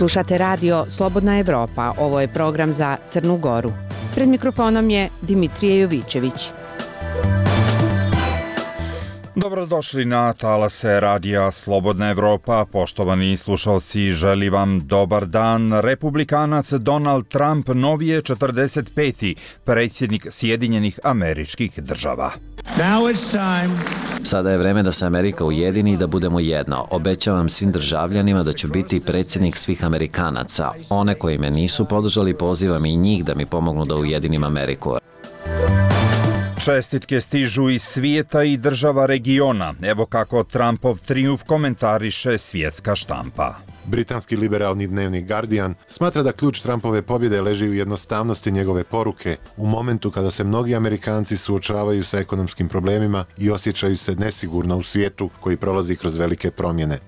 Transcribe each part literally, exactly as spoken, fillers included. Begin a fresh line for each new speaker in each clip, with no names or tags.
Slušate radio Slobodna Evropa, ovo je program za Crnu Goru. Pred mikrofonom je Dimitrije Jovićević.
Dobrodošli na talase radija Slobodna Evropa. Poštovani slušalci, želi vam dobar dan. Republikanac Donald Trump novi je četrdeset peti predsjednik Sjedinjenih Američkih Država.
Sada je vreme da se Amerika ujedini i da budemo jedno. Obećavam svim državljanima da ću biti predsjednik svih Amerikanaca. One koji me nisu podržali, pozivam i njih da mi pomognu da ujedinim Ameriku.
Čestitke stižu iz svijeta i država regiona. Evo kako Trumpov trijumf komentariše svjetska štampa.
Britanski liberalni dnevnik Guardian smatra da ključ Trumpove pobjede leži u jednostavnosti njegove poruke u momentu kada se mnogi Amerikanci suočavaju sa ekonomskim problemima i osjećaju se nesigurno u svijetu koji prolazi kroz velike promjene.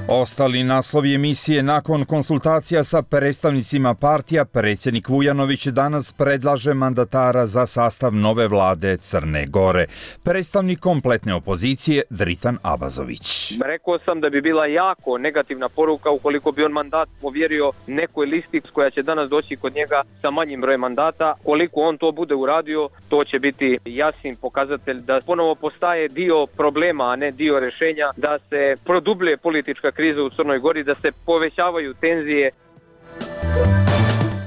Ostali naslovi emisije: nakon konsultacija sa predstavnicima partija, predsjednik Vujanović danas predlaže mandatara za sastav nove vlade Crne Gore. Predstavnik kompletne opozicije Dritan Abazović.
Rekao sam da bi bila jako negativna poruka ukoliko bi on mandat povjerio nekoj listi koja će danas doći kod njega sa manjim brojem mandata. Koliko on to bude uradio, to će biti jasni pokazatelj da ponovo postaje dio problema, a ne dio rješenja, da se produbljuje politička kriza u Crnoj Gori, da se povećavaju tenzije.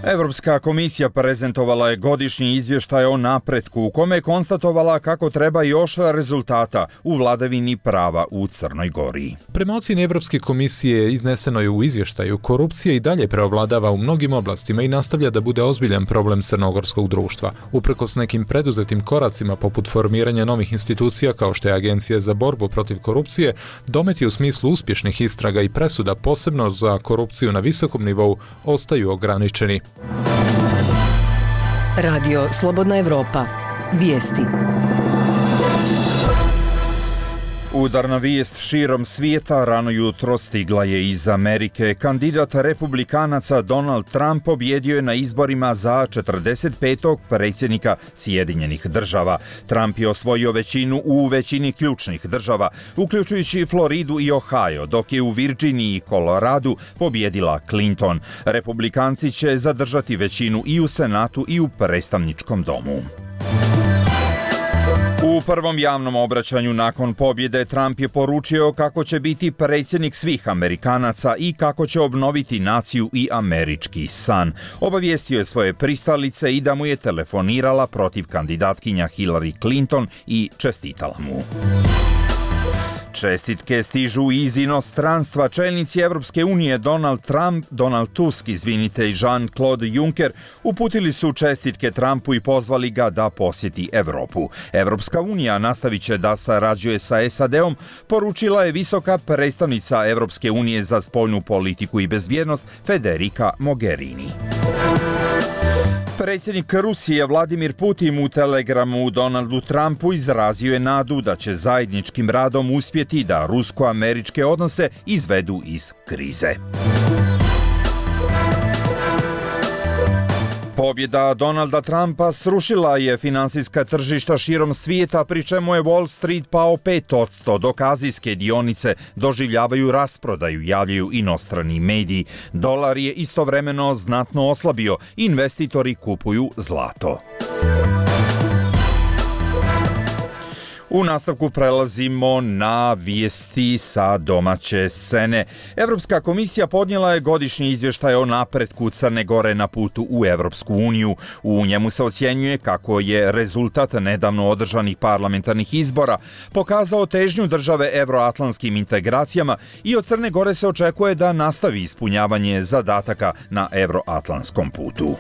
Evropska komisija prezentovala je godišnji izvještaj o napretku u kome je konstatovala kako treba još rezultata u vladavini prava u Crnoj Gori.
Prema ocjeni Evropske komisije izneseno je u izvještaju, korupcija i dalje preovladava u mnogim oblastima i nastavlja da bude ozbiljan problem crnogorskog društva. Uprkos nekim preduzetim koracima poput formiranja novih institucija kao što je Agencija za borbu protiv korupcije, dometi u smislu uspješnih istraga i presuda posebno za korupciju na visokom nivou ostaju ograničeni.
Radio Slobodna Evropa. Vijesti.
Udarna vijest širom svijeta rano jutro stigla je iz Amerike. Kandidat republikanaca Donald Trump pobjedio je na izborima za četrdeset petog predsjednika Sjedinjenih Država. Trump je osvojio većinu u većini ključnih država, uključujući Floridu i Ohio, dok je u Virginiji i Koloradu pobjedila Clinton. Republikanci će zadržati većinu i u Senatu i u predstavničkom domu. U prvom javnom obraćanju nakon pobjede Trump je poručio kako će biti predsjednik svih Amerikanaca i kako će obnoviti naciju i američki san. Obavijestio je svoje pristalice i da mu je telefonirala protiv kandidatkinja Hillary Clinton i čestitala mu. Čestitke stižu iz inostranstva. Čelnici Evropske unije Donald Trump, Donald Tusk, izvinite, i Jean-Claude Juncker uputili su čestitke Trumpu i pozvali ga da posjeti Evropu. Evropska unija nastavit će da sarađuje sa S A D-om, poručila je visoka predstavnica Evropske unije za spoljnu politiku i bezbjednost Federica Mogherini. Predsjednik Rusije Vladimir Putin u telegramu Donaldu Trumpu izrazio je nadu da će zajedničkim radom uspjeti da rusko-američke odnose izvedu iz krize. Pobjeda Donalda Trumpa srušila je finansijska tržišta širom svijeta, pri čemu je Wall Street pao pet posto, dok azijske dionice doživljavaju rasprodaju, javljaju inostrani mediji. Dolar je istovremeno znatno oslabio, investitori kupuju zlato. U nastavku prelazimo na vijesti sa domaće scene. Evropska komisija podnijela je godišnji izvještaj o napretku Crne Gore na putu u Evropsku uniju. U njemu se ocjenjuje kako je rezultat nedavno održanih parlamentarnih izbora pokazao težnju države evroatlantskim integracijama i od Crne Gore se očekuje da nastavi ispunjavanje zadataka na evroatlantskom putu.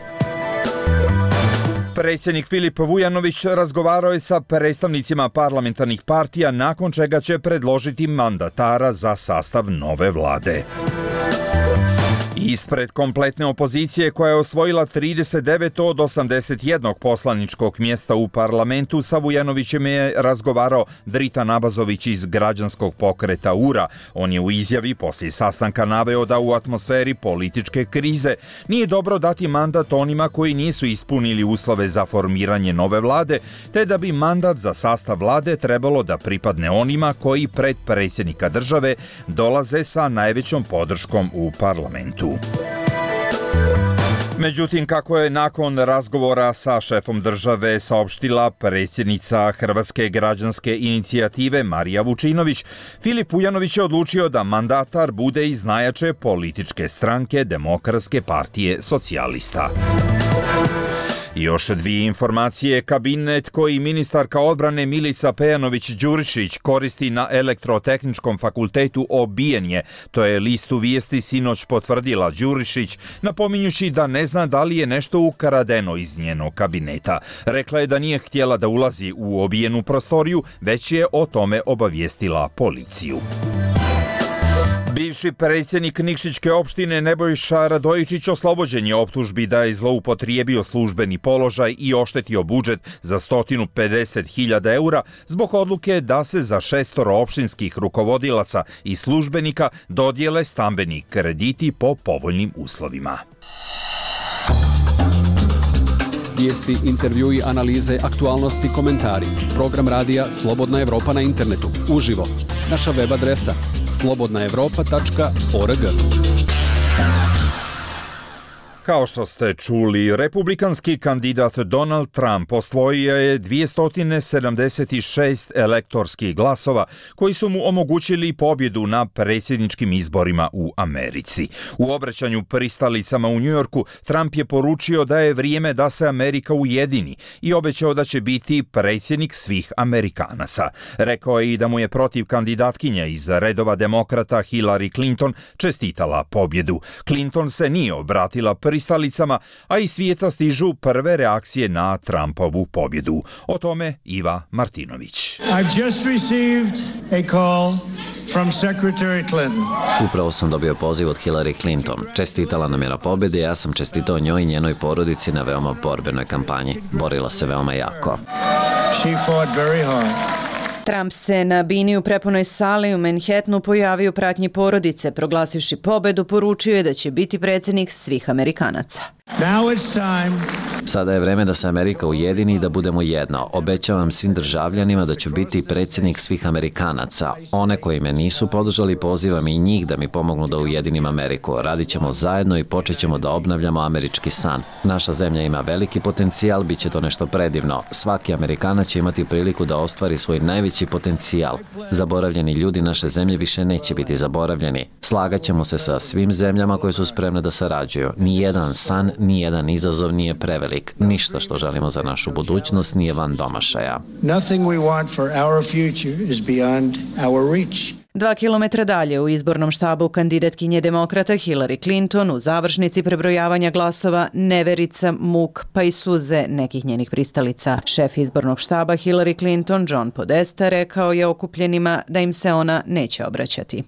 Predsjednik Filip Vujanović razgovarao je sa predstavnicima parlamentarnih partija, nakon čega će predložiti mandatara za sastav nove vlade. Ispred kompletne opozicije koja je osvojila trideset devet od osamdeset jednog poslaničkog mjesta u parlamentu, sa Vujanovićem je razgovarao Dritan Abazović iz građanskog pokreta U R A. On je u izjavi poslije sastanka naveo da u atmosferi političke krize nije dobro dati mandat onima koji nisu ispunili uslove za formiranje nove vlade, te da bi mandat za sastav vlade trebalo da pripadne onima koji pred predsjednika države dolaze sa najvećom podrškom u parlamentu. Međutim, kako je nakon razgovora sa šefom države saopštila predsjednica Hrvatske građanske inicijative Marija Vučinović, Filip Vujanović je odlučio da mandatar bude iz najjače političke stranke Demokratske partije socijalista. I još dvije informacije. Kabinet koji ministarka odbrane Milica Pejanović-Đurišić koristi na Elektrotehničkom fakultetu obijen je. To je listu vijesti sinoć potvrdila Đurišić, napominjući da ne zna da li je nešto ukradeno iz njenog kabineta. Rekla je da nije htjela da ulazi u obijenu prostoriju, već je o tome obavijestila policiju. Bivši predsjednik Nikšićke opštine Nebojša Radojičić oslobođen je optužbi da je zloupotrijebio službeni položaj i oštetio budžet za sto pedeset hiljada eura zbog odluke da se za šestoro opštinskih rukovodilaca i službenika dodijele stambeni krediti po povoljnim uslovima.
Vijesti, intervjui, analize, aktualnosti, komentari. Program radija Slobodna Evropa na internetu. Uživo. Naša web adresa slobodna evropa tačka org.
Kao što ste čuli, republikanski kandidat Donald Trump osvojio je dvjesto sedamdeset šest elektorskih glasova koji su mu omogućili pobjedu na predsjedničkim izborima u Americi. U obraćanju pristalicama u Njujorku Trump je poručio da je vrijeme da se Amerika ujedini i obećao da će biti predsjednik svih Amerikanaca. Rekao je i da mu je protiv kandidatkinja iz redova demokrata Hillary Clinton čestitala pobjedu. Clinton se nije obratila pristalicama, a iz svijeta stižu prve reakcije na Trumpovu pobjedu. O tome Iva Martinović.
I've just received a call from Secretary Clinton.
Upravo sam dobio poziv od Hillary Clinton. Čestitala nam je na pobjedi, ja sam čestitao njoj i njenoj porodici na veoma borbenoj kampanji. Borila se veoma jako.
She fought very hard.
Trump se na bini u prepunoj sali u Manhattanu pojavio u pratnji porodice, proglasivši pobedu, poručio je da će biti predsjednik svih Amerikanaca.
Now it's time.
Sada je vreme da se Amerika ujedini i da budemo jedno. Obećavam svim državljanima da ću biti predsjednik svih Amerikanaca. One koji me nisu podržali, pozivam i njih da mi pomognu da ujedinim Ameriku. Radit ćemo zajedno i počet ćemo da obnavljamo američki san. Naša zemlja ima veliki potencijal, bit će to nešto predivno. Svaki Amerikanac će imati priliku da ostvari svoj najveći potencijal. Zaboravljeni ljudi naše zemlje više neće biti zaboravljeni. Slagat ćemo se sa svim zemljama koje su spremne da sarađuju. Nijedan san, nijedan izazov nije prevelik. Ništa što želimo za našu budućnost nije van domašaja.
Nothing we want for our future is beyond our reach.
Dva kilometra dalje u izbornom štabu kandidatkinje demokrata Hillary Clinton u završnici prebrojavanja glasova neverica, muk pa i suze nekih njenih pristalica. Šef izbornog štaba Hillary Clinton, John Podesta, rekao je okupljenima da im se ona neće obraćati.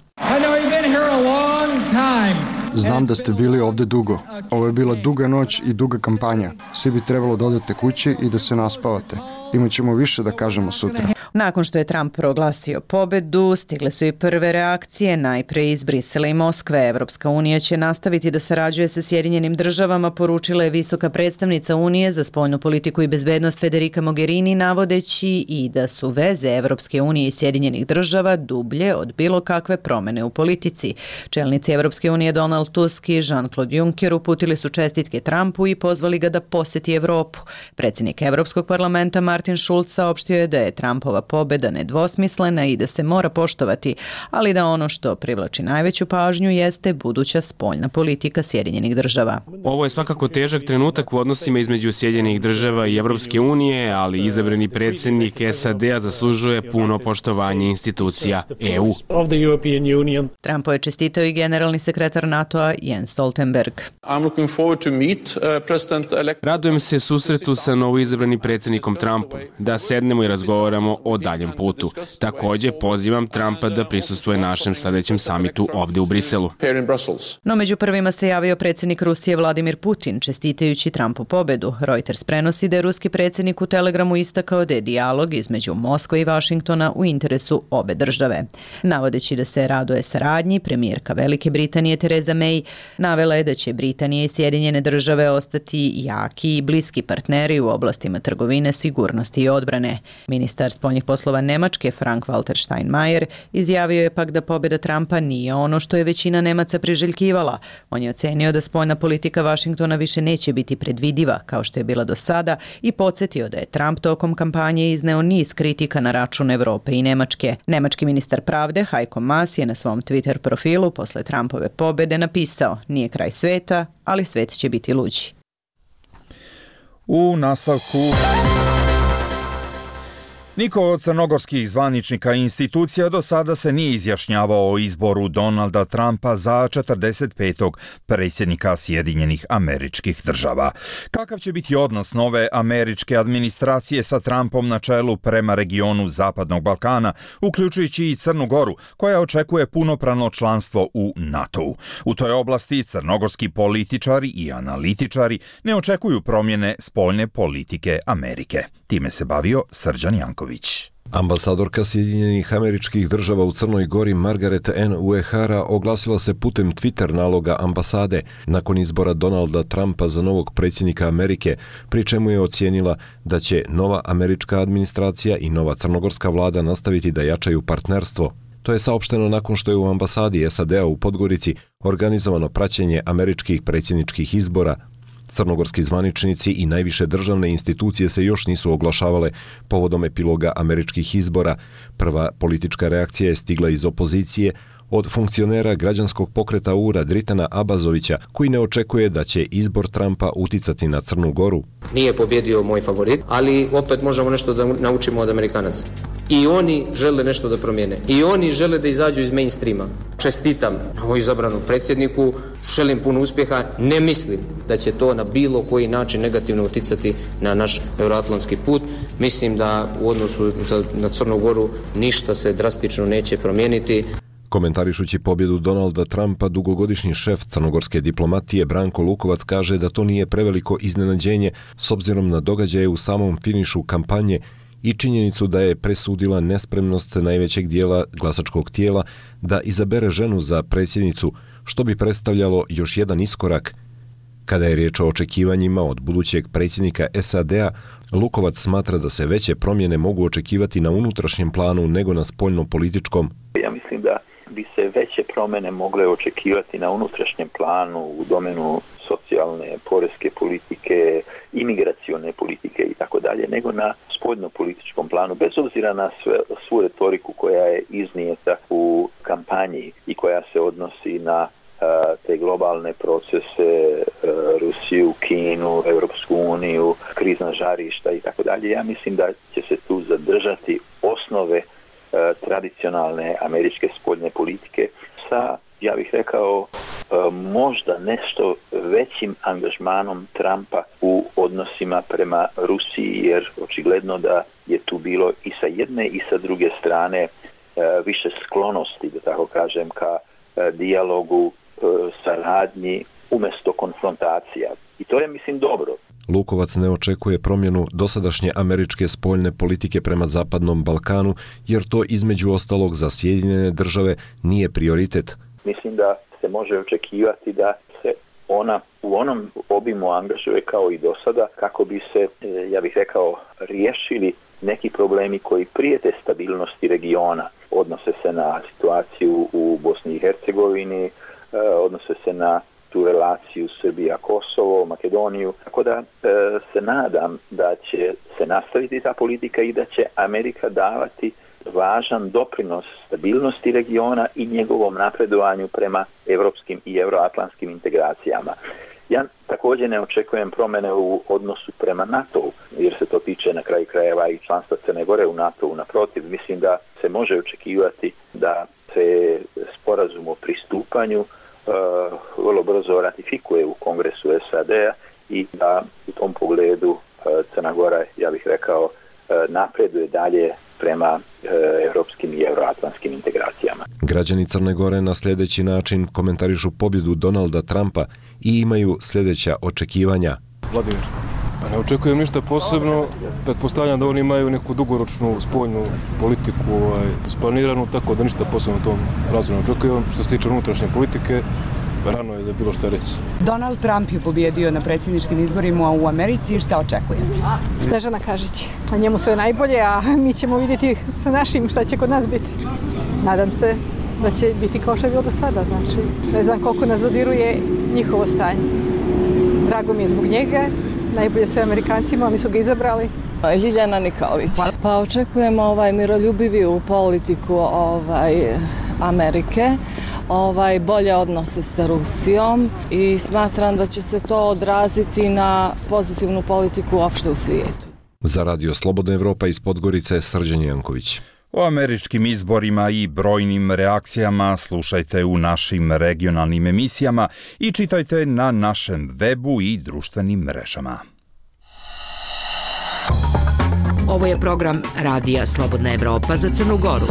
Znam da ste bili ovdje dugo. Ovo je bila duga noć i duga kampanja. Svi bi trebalo da odete kući i da se naspavate. Imat ćemo više da kažemo sutra.
Nakon što je Trump proglasio pobedu, stigle su i prve reakcije, najpre iz Brisela i Moskve. Evropska unija će nastaviti da sarađuje sa Sjedinjenim državama, poručila je visoka predstavnica Unije za spoljnu politiku i bezbednost Federica Mogherini, navodeći i da su veze Evropske unije i Sjedinjenih država dublje od bilo kakve promene u politici. Čelnici Evropske unije Donald Tusk i Jean-Claude Juncker uputili su čestitke Trumpu i pozvali ga da posjeti Evropu. Predsjednik Evropskog parlamenta Martin Schulz saopštio je da je Trumpova pobjeda nedvosmislena i da se mora poštovati, ali da ono što privlači najveću pažnju jeste buduća spoljna politika Sjedinjenih država.
Ovo je svakako težak trenutak u odnosima između Sjedinjenih država i Evropske unije, ali izabrani predsjednik S A D-a zaslužuje puno poštovanje institucija E U.
Trumpu je čestitao i generalni sekretar NATO NATO-a Jens Stoltenberg.
Radujem se susretu sa novoizabranim predsjednikom Trumpom, da sednemo i razgovaramo o daljem putu. Također pozivam Trumpa da prisustvuje našem sljedećem samitu ovdje u Briselu.
No među prvima se javio predsjednik Rusije Vladimir Putin, čestitajući Trumpu pobedu. Reuters prenosi da je ruski predsjednik u telegramu istakao da je dijalog između Moskve i Vašingtona u interesu obe države. Navodeći da se raduje saradnji, premijerka Velike Britanije Theresa May navela je da će Britanija i Sjedinjene države ostati jaki i bliski partneri u oblastima trgovine, sigurnosti i odbrane. Ministar spoljnih poslova Nemačke Frank-Walter Steinmeier izjavio je pak da pobjeda Trumpa nije ono što je većina Nemaca priželjkivala. On je ocenio da spoljna politika Vašingtona više neće biti predvidiva kao što je bila do sada i podsjetio da je Trump tokom kampanje izneo niz kritika na račun Evrope i Nemačke. Nemački ministar pravde Heiko Maas je na svom Twitter profilu posle Trumpove pobjede napisao: nije kraj sveta, ali svet će biti luđi.
U nastavku... Niko od crnogorskih zvaničnika i institucija do sada se nije izjašnjavao o izboru Donalda Trumpa za četrdeset petog predsjednika Sjedinjenih Američkih Država. Kakav će biti odnos nove američke administracije sa Trumpom na čelu prema regionu Zapadnog Balkana, uključujući i Crnu Goru, koja očekuje punopravno članstvo u NATO-u. U toj oblasti crnogorski političari i analitičari ne očekuju promjene spoljne politike Amerike. Time se bavio Srđan Janković.
Ambasadorka Sjedinjenih Američkih Država u Crnoj Gori Margaret N. Uehara oglasila se putem Twitter naloga ambasade nakon izbora Donalda Trumpa za novog predsjednika Amerike, pri čemu je ocijenila da će nova američka administracija i nova crnogorska vlada nastaviti da jačaju partnerstvo. To je saopšteno nakon što je u ambasadi S A D-a u Podgorici organizovano praćenje američkih predsjedničkih izbora. Crnogorski zvaničnici i najviše državne institucije se još nisu oglašavale povodom epiloga američkih izbora. Prva politička reakcija je stigla iz opozicije od funkcionera građanskog pokreta U R A Dritana Abazovića, koji ne očekuje da će izbor Trumpa uticati na Crnu Goru.
Nije pobjedio moj favorit, ali opet možemo nešto da naučimo od Amerikanaca. I oni žele nešto da promijene. I oni žele da izađu iz mainstreama. Čestitam novo izabranom predsjedniku, želim puno uspjeha, ne mislim da će to na bilo koji način negativno uticati na naš euroatlantski put. Mislim da u odnosu na Crnu Goru ništa se drastično neće promijeniti.
Komentarišući pobjedu Donalda Trumpa, dugogodišnji šef crnogorske diplomatije Branko Lukovac kaže da to nije preveliko iznenađenje s obzirom na događaje u samom finišu kampanje i činjenicu da je presudila nespremnost najvećeg dijela glasačkog tijela da izabere ženu za predsjednicu, što bi predstavljalo još jedan iskorak. Kada je riječ o očekivanjima od budućeg predsjednika S A D-a, Lukovac smatra da se veće promjene mogu očekivati na unutrašnjem planu nego na spoljno-političkom.
Ja mislim da bi se veće promjene mogle očekivati na unutrašnjem planu u domenu socijalne, poreske politike, imigracione politike i tako dalje, nego na spoljno-političkom planu, bez obzira na sve, svu retoriku koja je iznijeta u kampanji i koja se odnosi na te globalne procese, Rusiju, Kinu, Europsku uniju, krizna žarišta i tako dalje. Ja mislim da će se tu zadržati osnove tradicionalne američke spoljne politike sa, ja bih rekao, možda nešto većim angažmanom Trumpa u odnosima prema Rusiji, jer očigledno da je tu bilo i sa jedne i sa druge strane više sklonosti, da tako kažem, ka dijalogu, saradnji umjesto konfrontacija. I to je, mislim, dobro.
Lukovac ne očekuje promjenu dosadašnje američke spoljne politike prema Zapadnom Balkanu, jer to između ostalog za Sjedinjene države nije prioritet.
Mislim da se može očekivati da se ona u onom obimu angažuje kao i do sada, kako bi se, ja bih rekao, riješili neki problemi koji prijete stabilnosti regiona. Odnose se na situaciju u Bosni i Hercegovini, odnose se na tu relaciju Srbija-Kosovo, Makedoniju. Tako da e, se nadam da će se nastaviti ta politika i da će Amerika davati važan doprinos stabilnosti regiona i njegovom napredovanju prema evropskim i euroatlantskim integracijama. Ja također ne očekujem promjene u odnosu prema NATO-u, jer se to tiče na kraju krajeva i članstva Crne Gore u NATO-u. Naprotiv, mislim da se može očekivati da se sporazum o pristupanju vrlo brzo ratifikuje u Kongresu S A D-a i da u tom pogledu Crna Gora, ja bih rekao, napreduje dalje prema evropskim i euroatlantskim integracijama.
Građani Crne Gore na sljedeći način komentarišu pobjedu Donalda Trumpa i imaju sljedeća očekivanja.
Vladimir, pa ne očekujem ništa posebno, pretpostavljam da oni imaju neku dugoročnu spoljnu politiku ovaj, splaniranu, tako da ništa posebno u tom razvoju ne očekujem. Što se tiče unutrašnje politike, rano je za bilo šta reći.
Donald Trump je pobjedio na predsjedničkim izborima u Americi. Šta očekujete?
Snežana Kažić. A njemu sve najbolje, a mi ćemo vidjeti sa našim šta će kod nas biti. Nadam se da će biti kao što je bilo do sada. Znači, ne znam koliko nas dodiruje njihovo stanje. Drago mi je zbog njega. Najbolje sve Amerikancima, oni su ga izabrali.
Ljiljana Nikolić. Pa očekujemo ovaj miroljubiviju politiku ovaj Amerike, ovaj bolje odnose sa Rusijom i smatram da će se to odraziti na pozitivnu politiku uopšte u svijetu.
Za Radio Slobodna Evropa iz Podgorice, Srđan Janković.
O američkim izborima i brojnim reakcijama slušajte u našim regionalnim emisijama i čitajte na našem webu i društvenim mrežama.
Ovo je program Radija Slobodna Evropa za Crnu Goru.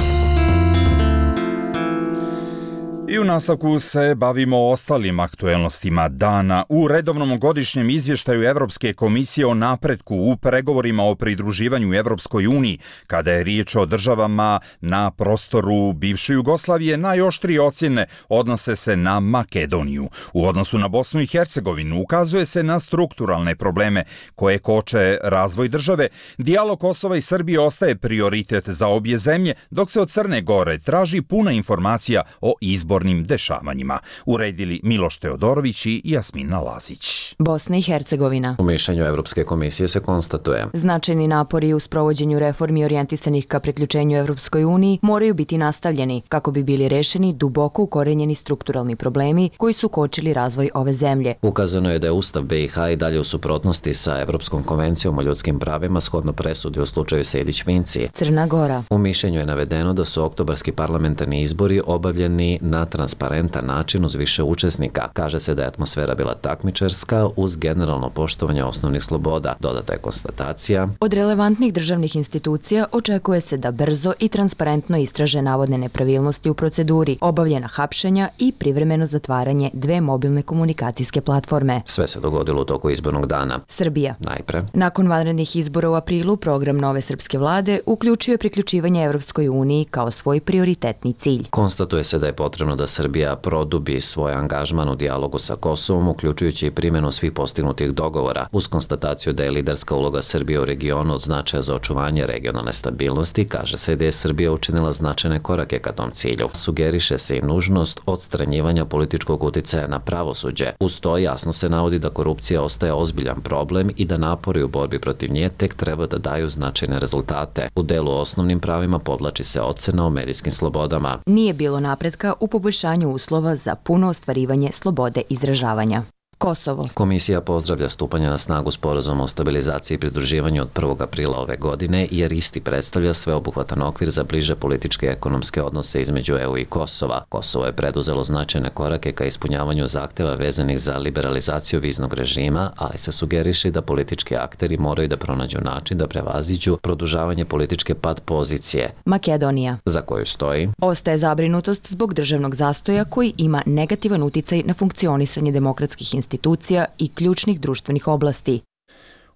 I u nastavku se bavimo ostalim aktuelnostima dana. U redovnom godišnjem izvještaju Evropske komisije o napretku u pregovorima o pridruživanju Evropskoj uniji, kada je riječ o državama na prostoru bivše Jugoslavije, najoštrije ocjene odnose se na Makedoniju. U odnosu na Bosnu i Hercegovinu ukazuje se na strukturalne probleme koje koče razvoj države. Dijalog Kosova i Srbije ostaje prioritet za obje zemlje, dok se od Crne Gore traži puna informacija o izbornim dešavanjima. Uredili Miloš Teodorović i Jasmina Lazić.
Bosna i Hercegovina.
U mišljenju Evropske komisije se konstatuje:
značajni napori u sprovođenju reformi orijentisanih ka priključenju Evropskoj uniji moraju biti nastavljeni kako bi bili rešeni duboko ukorenjeni strukturalni problemi koji su kočili razvoj ove zemlje.
Ukazano je da je Ustav B i H i dalje u suprotnosti sa Evropskom konvencijom o ljudskim pravima shodno presudi u slučaju Sejdić-Finci.
Crna Gora.
U mišljenju je navedeno da su oktobarski parlamentarni izbori obavljeni na transparentan način uz više učesnika. Kaže se da je atmosfera bila takmičarska uz generalno poštovanje osnovnih sloboda. Dodata je konstatacija:
od relevantnih državnih institucija očekuje se da brzo i transparentno istraže navodne nepravilnosti u proceduri, obavljena hapšenja i privremeno zatvaranje dve mobilne komunikacijske platforme.
Sve se dogodilo u toku izbornog dana.
Srbija.
Najpre.
Nakon vanrednih izbora u aprilu, program nove srpske vlade uključio je priključivanje Evropskoj uniji kao svoj prioritetni cilj.
Konstatuje se da je potrebno da Srbija produbi svoj angažman u dijalogu sa Kosovom, uključujući i primjenu svih postignutih dogovora, uz konstataciju da je liderska uloga Srbije u regionu od značaja za očuvanje regionalne stabilnosti. Kaže se da je Srbija učinila značajne korake ka tom cilju. Sugeriše se i nužnost odstranjivanja političkog uticaja na pravosuđe. Uz to jasno se navodi da korupcija ostaje ozbiljan problem i da napori u borbi protiv nje tek treba da daju značajne rezultate. U delu o osnovnim pravima podlači se ocena o medijskim slobodama.
Nije bilo napretka u poboljšanju uslova za puno ostvarivanje slobode izražavanja. Kosovo.
Komisija pozdravlja stupanje na snagu sporazuma o stabilizaciji i pridruživanju od prvog aprila ove godine, jer isti predstavlja sveobuhvatan okvir za bliže političke i ekonomske odnose između E U i Kosova. Kosovo je preduzelo značajne korake ka ispunjavanju zahteva vezanih za liberalizaciju viznog režima, ali se sugeriše da politički akteri moraju da pronađu način da prevaziđu produžavanje političke pad pozicije.
Makedonija.
Za koju stoji:
ostaje zabrinutost zbog državnog zastoja koji ima negativan uticaj na funkcionisanje demokratskih institucija institucija i ključnih društvenih oblasti.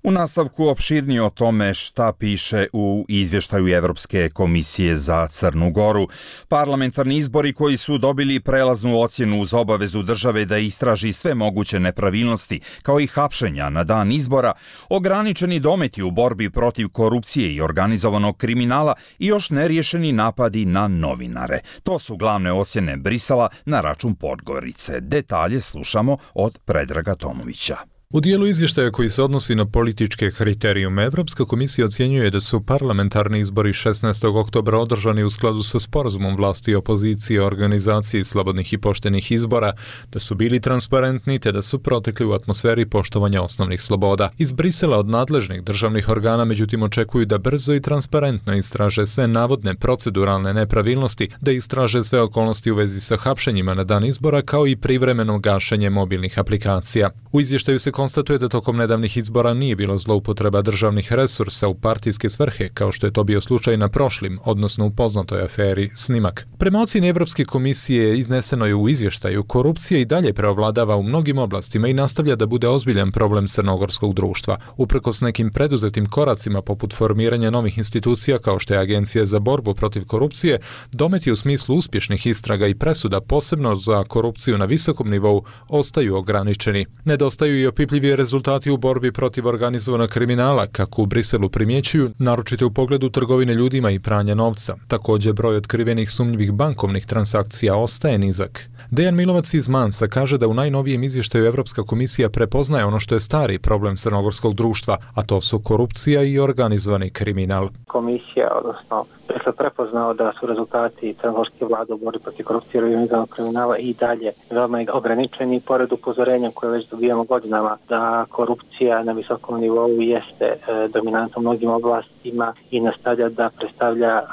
U nastavku opširnije o tome šta piše u izvještaju Evropske komisije za Crnu Goru. Parlamentarni izbori koji su dobili prelaznu ocjenu uz obavezu države da istraži sve moguće nepravilnosti, kao i hapšenja na dan izbora, ograničeni dometi u borbi protiv korupcije i organizovanog kriminala i još neriješeni napadi na novinare. To su glavne ocjene Brisela na račun Podgorice. Detalje slušamo od Predraga Tomovića.
U dijelu izvještaja koji se odnosi na političke kriterijume, Evropska komisija ocjenjuje da su parlamentarni izbori šesnaestog oktobra održani u skladu sa sporazumom vlasti i opozicije o organizaciji slobodnih i poštenih izbora, da su bili transparentni te da su protekli u atmosferi poštovanja osnovnih sloboda. Iz Brisela od nadležnih državnih organa međutim očekuju da brzo i transparentno istraže sve navodne proceduralne nepravilnosti, da istraže sve okolnosti u vezi sa hapšenjima na dan izbora kao i privremeno gašenje mobilnih aplikacija. U izvještaju se konstatuje da tokom nedavnih izbora nije bilo zloupotreba državnih resursa u partijske svrhe, kao što je to bio slučaj na prošlim, odnosno u poznatoj aferi Snimak. Prema ocjeni Evropske komisije izneseno je u izvještaju, korupcija i dalje preovladava u mnogim oblastima i nastavlja da bude ozbiljan problem crnogorskog društva. Uprkos nekim preduzetim koracima poput formiranja novih institucija kao što je Agencija za borbu protiv korupcije, dometi u smislu uspješnih istraga i presuda posebno za korupciju na visokom nivou ostaju ograničeni. Nedostaju i opipljivi rezultati u borbi protiv organizovanog kriminala, kako u Briselu primjećuju, naročito u pogledu trgovine ljudima i pranja novca. Također broj otkrivenih sumnjivih bankovnih transakcija ostaje nizak. Dejan Milovac iz Mansa kaže da u najnovijem izvještaju Evropska komisija prepoznaje ono što je stari problem crnogorskog društva, a to su korupcija i organizovani kriminal.
Komisija, odnosno Brisel prepoznao da su rezultati crnogorske vlade u borbi protiv korupcije i organizovanog kriminala i dalje veoma ograničeni, pored upozorenja koje već dobijamo godinama da korupcija na visokom nivou jeste e, dominantna u mnogim oblastima i nastavlja da predstavlja e,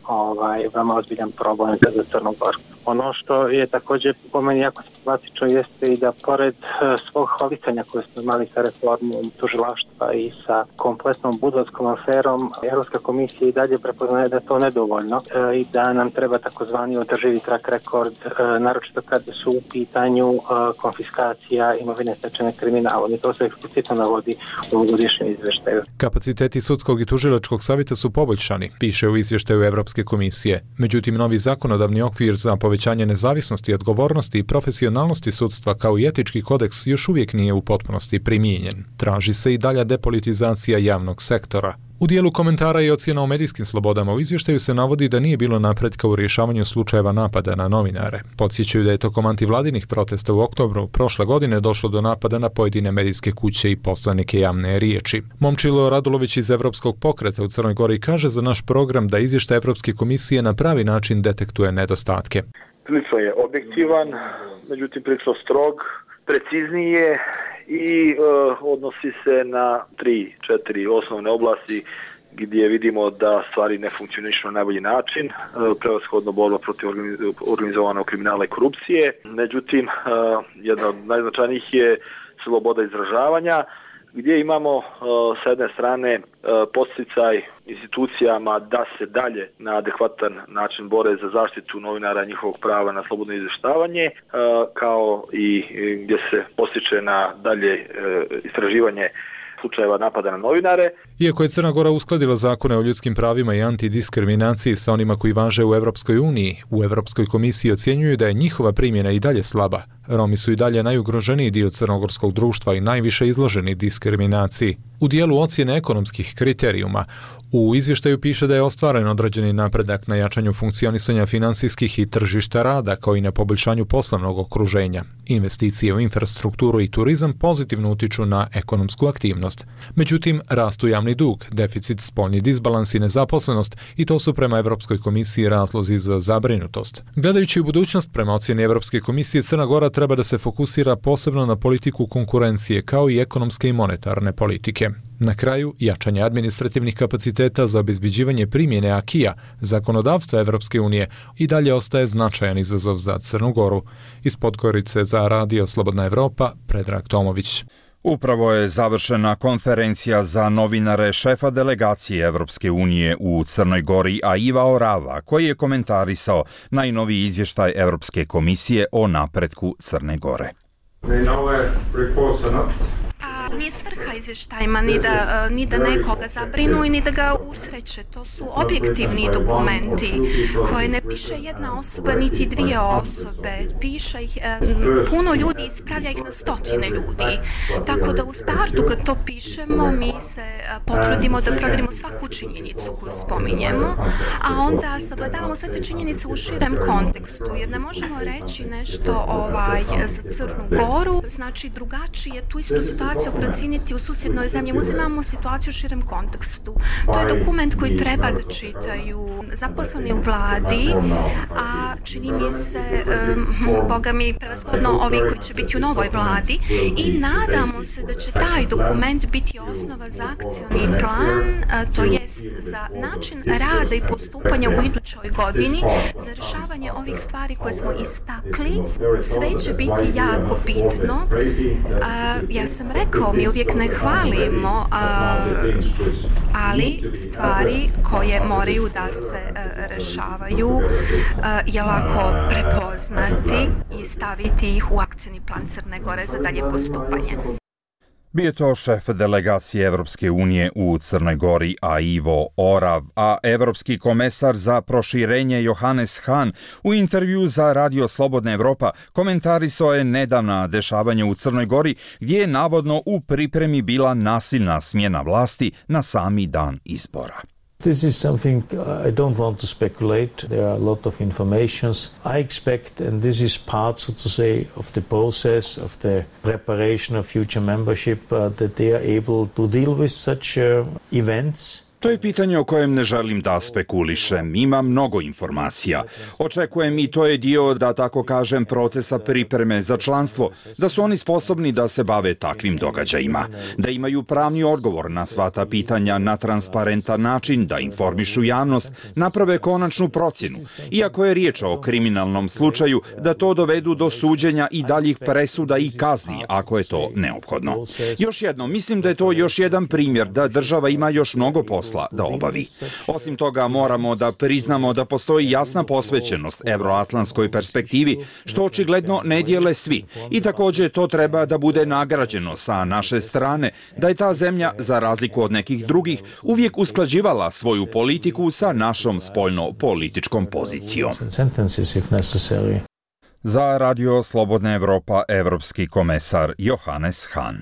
ovaj, veoma ozbiljan problem za Crnu Goru. Ono što je također po meni jako simptomatično jeste i da pored e, svog hvalisanja koje smo imali sa reformom tužilaštva i sa kompletnom budarskom aferom, Europska komisija i dalje prepoznaje da to nedovoljno e, i da nam treba takozvani održivi track record, e, naročito kada su u pitanju e, konfiskacija imovine stečene kriminalom i to se eksplicitno navodi u ovogodišnjem izvještaju.
Kapaciteti sudskog i tužilačkog savjeta su poboljšani, piše u izvještaju Evropske komisije. Međutim, novi zakonodavni okvir za povećanje nezavisnosti, odgovornosti i profesionalnosti sudstva kao i etički kodeks još uvijek nije u potpunosti primijenjen. Traži se i dalja depolitizacija javnog sektora. U dijelu komentara i ocjena o medijskim slobodama u izvještaju se navodi da nije bilo napretka u rješavanju slučajeva napada na novinare. Podsjećaju da je tokom antivladinih protesta u oktobru prošle godine došlo do napada na pojedine medijske kuće i poslanike javne riječi. Momčilo Radulović iz Evropskog pokreta u Crnoj Gori kaže za naš program da izvještaj Evropske komisije na pravi način detektuje nedostatke.
Prilično je objektivan, međutim prilično strog, preciznije i e, odnosi se na tri, četiri osnovne oblasti gdje vidimo da stvari ne funkcionišu na najbolji način, e, prevashodno borba protiv organizovanog kriminala i korupcije. Međutim, e, jedna od najznačajnijih je sloboda izražavanja, gdje imamo e, s jedne strane e, podsticaj institucijama da se dalje na adekvatan način bore za zaštitu novinara i njihovog prava na slobodno izvještavanje, e, kao i gdje se postiče na dalje e, istraživanje slučajeva napada na novinare.
Iako je Crna Gora uskladila zakone o ljudskim pravima i antidiskriminaciji sa onima koji važe u Evropskoj uniji, u Evropskoj komisiji ocjenjuju da je njihova primjena i dalje slaba. Romi su i dalje najugroženiji dio crnogorskog društva i najviše izloženi diskriminaciji. U dijelu ocjene ekonomskih kriterijuma, u izvještaju piše da je ostvaren određeni napredak na jačanju funkcionisanja finansijskih i tržišta rada, kao i na poboljšanju poslovnog okruženja. Investicije u infrastrukturu i turizam pozitivno utiču na ekonomsku aktivnost. Međutim, rastu javni dug, deficit, spoljni disbalans i nezaposlenost i to su prema Evropskoj komisiji razlozi za zabrinutost. Gledajući u budućnost, prema ocjeni Evropske komisije, Crna Gora treba da se fokusira posebno na politiku konkurencije kao i ekonomske i monetarne politike. Na kraju, jačanje administrativnih kapaciteta za obezbeđivanje primjene akija, zakonodavstva Evropske unije, i dalje ostaje značajan izazov za Crnu Goru. Iz Podgorice za Radio Slobodna Evropa, Predrag Tomović.
Upravo je završena konferencija za novinare šefa delegacije Evropske unije u Crnoj Gori, a Iva Orava, koji je komentarisao najnoviji izvještaj Evropske komisije o napretku Crne Gore.
nije svrha izvještajima ni da, ni da nekoga zabrinu i ni da ga usreće. To su objektivni dokumenti koje ne piše jedna osoba niti dvije osobe. Piše ih puno ljudi, ispravlja ih na stotine ljudi. Tako da u startu kad to pišemo mi se potrudimo da provjerimo svaku činjenicu koju spominjemo, a onda sagledavamo sve te činjenice u širem kontekstu, jer ne možemo reći nešto ovaj, za Crnu Goru, znači drugačije tu istu situaciju procijeniti u susjednoj zemlji. Uzimamo situaciju u širem kontekstu. To je dokument koji treba da čitaju zaposleni u vladi, a čini mi se, um, boga mi, prevashodno ovi koji će biti u novoj vladi, i nadamo se da će taj dokument biti osnova za akcioni plan, to jest za način rada i postupanja u idućoj godini, za rješavanje ovih stvari koje smo istakli. Sve će biti jako bitno. A, ja sam rekao, mi uvijek ne hvalimo, a, ali stvari koje moraju da se a, rješavaju a, je lako prepoznati i staviti ih u akcioni plan Crne Gore za dalje postupanje.
Bio to šef delegacije Evropske unije u Crnoj Gori, a Ivo Orav, a evropski komesar za proširenje Johannes Hahn u intervju za Radio Slobodna Evropa komentarisao je nedavna dešavanja u Crnoj Gori, gdje je navodno u pripremi bila nasilna smjena vlasti na sami dan izbora.
This is something I don't want to speculate. There are a lot of informations. I expect, and this is part, so to say, of the process of the preparation of future membership, uh, that they are able to deal with such uh, events.
To je pitanje o kojem ne želim da spekulišem. Ima mnogo informacija. Očekujem i to je dio, da tako kažem, procesa pripreme za članstvo, da su oni sposobni da se bave takvim događajima, da imaju pravni odgovor na sva ta pitanja na transparentan način, da informišu javnost, naprave konačnu procjenu. Iako je riječ o kriminalnom slučaju, da to dovedu do suđenja i daljih presuda i kazni, ako je to neophodno. Još jedno, mislim da je to još jedan primjer da država ima još mnogo posla da obavi. Osim toga, moramo da priznamo da postoji jasna posvećenost evroatlantskoj perspektivi, što očigledno ne dijele svi. I također to treba da bude nagrađeno sa naše strane, da je ta zemlja, za razliku od nekih drugih, uvijek usklađivala svoju politiku sa našom spoljno-političkom pozicijom. Za Radio Slobodna Evropa, evropski komesar Johannes Hahn.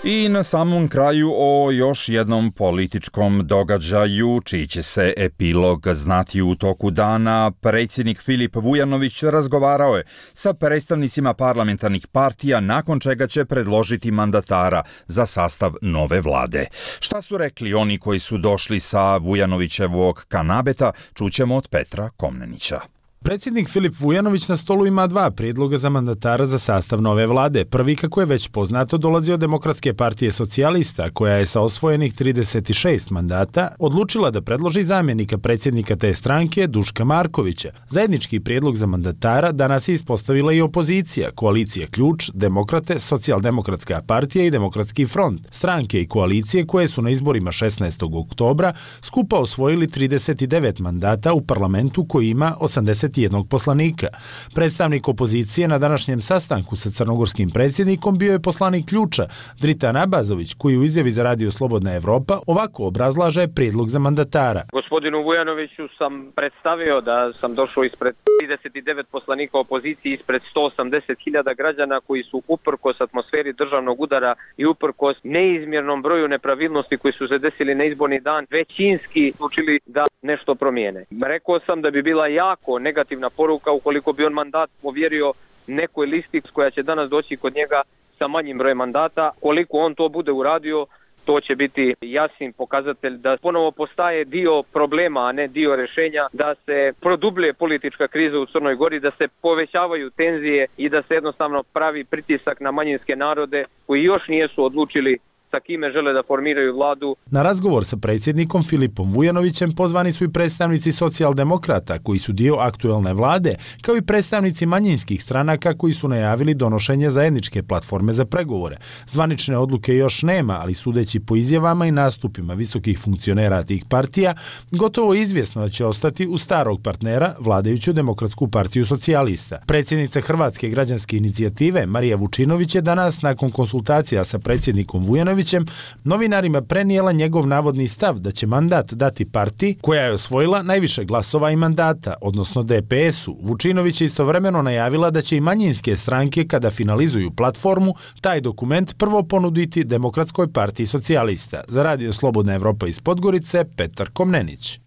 I na samom kraju o još jednom političkom događaju, čiji će se epilog znati u toku dana. Predsjednik Filip Vujanović razgovarao je sa predstavnicima parlamentarnih partija, nakon čega će predložiti mandatara za sastav nove vlade. Šta su rekli oni koji su došli sa Vujanovićevog kanabeta, čućemo od Petra Komnenića.
Predsjednik Filip Vujanović na stolu ima dva prijedloga za mandatara za sastav nove vlade. Prvi, kako je već poznato, dolazi od Demokratske partije socijalista, koja je sa osvojenih trideset šest mandata odlučila da predloži zamjenika predsjednika te stranke, Duška Markovića. Zajednički prijedlog za mandatara danas je ispostavila i opozicija, koalicija Ključ, Demokrate, Socijaldemokratska partija i Demokratski front. Stranke i koalicije koje su na izborima šesnaestog oktobra skupa osvojili trideset devet mandata u parlamentu koji ima osamdeset jednog poslanika. Predstavnik opozicije na današnjem sastanku sa crnogorskim predsjednikom bio je poslanik Ključa, Dritan Abazović, koji u izjavi za Radio Slobodna Evropa ovako obrazlaže prijedlog za mandatara.
Gospodinu Vujanoviću sam predstavio da sam došao ispred trideset devet poslanika opozicije, ispred sto osamdeset hiljada građana koji su uprkos atmosferi državnog udara i uprkos neizmjernom broju nepravilnosti koji su se desili na izborni dan, većinski učili da nešto promijene. Rekao sam da bi bila jako negativna poruka ukoliko bi on mandat povjerio nekoj listi koja će danas doći kod njega sa manjim brojem mandata. Koliko on to bude uradio, to će biti jasan pokazatelj da ponovo postaje dio problema, a ne dio rješenja, da se produbljuje politička kriza u Crnoj Gori, da se povećavaju tenzije i da se jednostavno pravi pritisak na manjinske narode koji još nijesu odlučili sa kime žele da formiraju vladu.
Na razgovor sa predsjednikom Filipom Vujanovićem pozvani su i predstavnici socijaldemokrata koji su dio aktuelne vlade, kao i predstavnici manjinskih stranaka koji su najavili donošenje zajedničke platforme za pregovore. Zvanične odluke još nema, ali sudeći po izjavama i nastupima visokih funkcionera tih partija, gotovo izvjesno da će ostati u starog partnera, vladajuću Demokratsku partiju socijalista. Predsjednica Hrvatske građanske inicijative Marija Vučinović je danas nakon konsultacija sa predsjednikom Vujanovićem novinarima prenijela njegov navodni stav da će mandat dati partiji koja je osvojila najviše glasova i mandata, odnosno D P S-u. Vučinović je istovremeno najavila da će i manjinske stranke kada finalizuju platformu taj dokument prvo ponuditi Demokratskoj partiji socijalista. Za Radio Slobodna Evropa iz Podgorice, Petar Komnenić.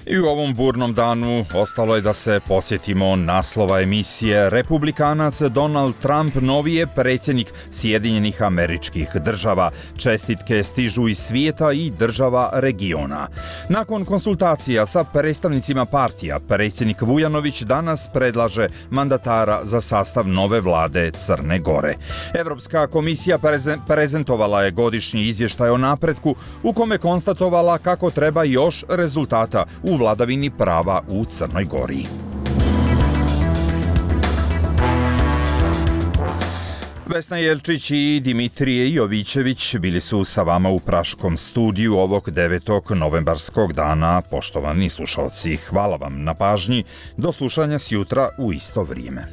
I u ovom burnom danu ostalo je da se posjetimo naslova emisije. Republikanac Donald Trump novi je predsjednik Sjedinjenih Američkih Država. Čestitke stižu iz svijeta i država regiona. Nakon konsultacija sa predstavnicima partija, predsjednik Vujanović danas predlaže mandatara za sastav nove vlade Crne Gore. Evropska komisija prezentovala je godišnji izvještaj o napretku u kome konstatovala kako treba još rezultata u vladavini prava u Crnoj Gori. Vesna Jelčić i Dimitrije Jovićević bili su sa vama u Praškom studiju ovog devetog novembarskog dana. Poštovani slušalci, hvala vam na pažnji. Do slušanja sjutra u isto vrijeme.